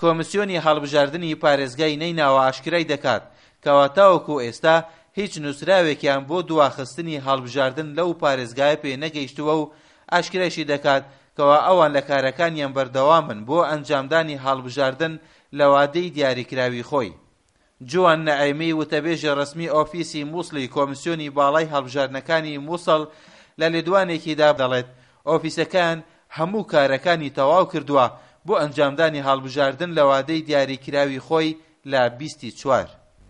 کۆمسیۆنی هەڵبژاردنی پارێزگای نەیناوە ئاشکرای دەکات کەوا تاوەکو ئێستا هیچ نووسراوێکیان بۆ دواخستنی هەڵبژاردن لەو پارێزگایە پێ نەگەیشتووە و ئاشکرایشی دەکات کەوا ئەوان لە کارەکانیان بەردەوامن بۆ ئەنجامدانی هەڵبژاردن لە وادەی دیاریکراوی خۆی. جوان نعێمی وتەبێژی ڕەسمی ئۆفیسی موسڵی کۆمسیۆنی باڵای هەڵبژاردنەکانی موسڵ لە لێدوانێکیدا دەڵێت ئۆفیسەکەیان هەموو کارەکانی تەواو کردووە بۆ ئەنجامدانی هەڵبژاردن لە وادەی دیاریکراوی خۆی لە 20 ی چوار.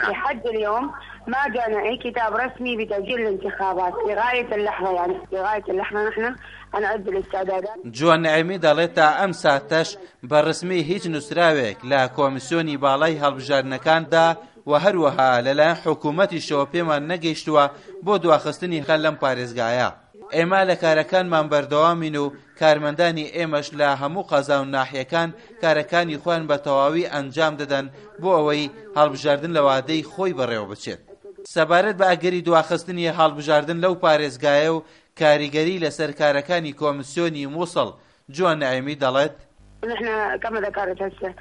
لحد اليوم ما جانا اي كتاب رسمي بتأجيل الانتخابات لغاية اللحظة يعني لغاية اللحظة نحن هنعد الاستعدادات. جوان نعیمی دەڵێت تا ئەم ساتەش بە ڕسمی هیچ نووسراوێک لە کۆمیسیۆنی باڵای هەڵبژاردنەکاندا و هەروەها لەلایەن حکوومەتیشەوە پێمان نەگەیشتووە بۆ دواخستنی خەل لەم پارێزگایە. ئێمە لە کارەکانمان بەردەوامین و کارمەندانی ئێمەش لە هەموو قەزا و ناحیەکان کارەکانی خۆیان بە تەواوی ئەنجام دەدەن بۆ ئەوەی هەڵبژاردن لە وادەی خۆی بەڕێوەبچێت. سەبارەت بە ئەگەری دواخستنی هەڵبژاردن لەو پارێزگایە و کاریگەری لەسەر کارەکانی کۆمسیۆنی موسڵ، جوان نعێمی دەڵێت، نحن كما ذكرت هسه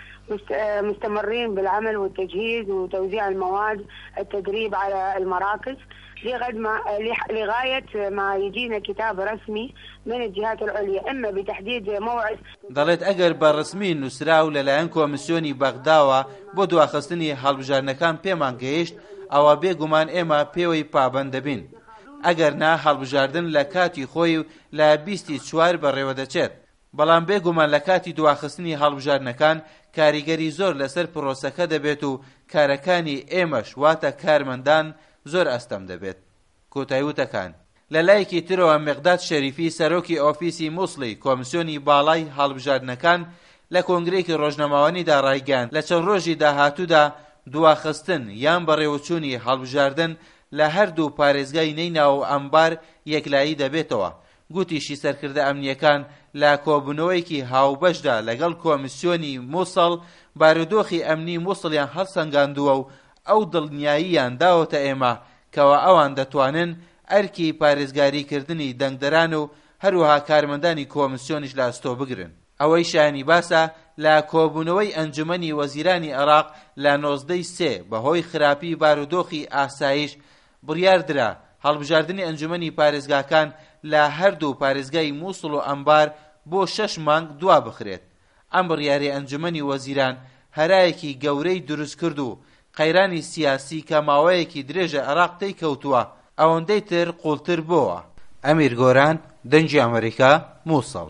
مستمرين بالعمل والتجهيز وتوزيع المواد التدريب على المراكز لغاية ما يجينا كتاب رسمي من الجهات العليا إما بتحديد موعد. دەڵێت ئەگەر بە ڕەسمی نووسراو لەلایەن کۆمسیۆنی بەغداوە بۆ دواخستنی هەڵبژاردنەکان پێمان گەیشت ئەوا بێ گومان ئێمە پێوەی پابەند دەبین ئەگەر نا هەڵبژاردن لە کاتی خۆی و لە 20 ی چوار بەڕێوەدەچێت بەڵام بێ گومان لە کاتی دواخستنی هەڵبژاردنەکان کاریگەری زۆر لەسەر پرۆسەکە دەبێت و کارەکانی ئێمەش واتە کارمەندان زۆر ئەستەم دەبێت. کۆتای وتەکان. لە لایەکی ترەوە میقداد شەریفی سەرۆکی ئۆفیسی موسڵی کۆمسیۆنی باڵای هەڵبژاردنەکان لە کۆنگرەیەکی ڕۆژنامەوانیدا ڕایگەیاند لە چەند ڕۆژی داهاتوودا دواخستن یان بەڕێوەچوونی هەڵبژاردن لە هەردوو پارێزگای نەیناوە و ئەنبار یەکلایی دەبێتەوە گوتیشی سەرکردە ئەمنییەکان لە کۆبوونەوەیەکی هاوبەشدا لەگەڵ کۆمیسیۆنی موسڵ بارودۆخی ئەمنی موسڵیان هەڵسەنگاندووە و ئەو دڵنیاییان داوەتە ئێمە کەوا ئەوان دەتوانن ئەرکی پارێزگاری کردنی دەنگدەران و هەروەها کارمەندانی کۆمیسیۆنیش لە ئەستۆ بگرن. ئەوەی شایانی باسە لە کۆبوونەوەی ئەنجومەنی وەزیرانی عێراق لە 19 ی سێ بەهۆی خراپی بارودۆخی ئاسایش بڕیاردرا هەڵبژاردنی ئەنجومەنی پارێزگاکان لە هەردوو پارێزگای موسڵ و ئەنبار بۆ شەش مانگ دوابخرێت. ئەم بڕیارەی ئەنجومەنی وەزیران هەرایەکی گەورەی دروستکرد و قەیرانی سیاسی کە ماوەیەکی درێژە عێراق تێی کەوتووە ئەوەندەی تر قوڵتر بۆوە. ئەمیر گۆران، دەنگی ئەمەریکا، موسڵ.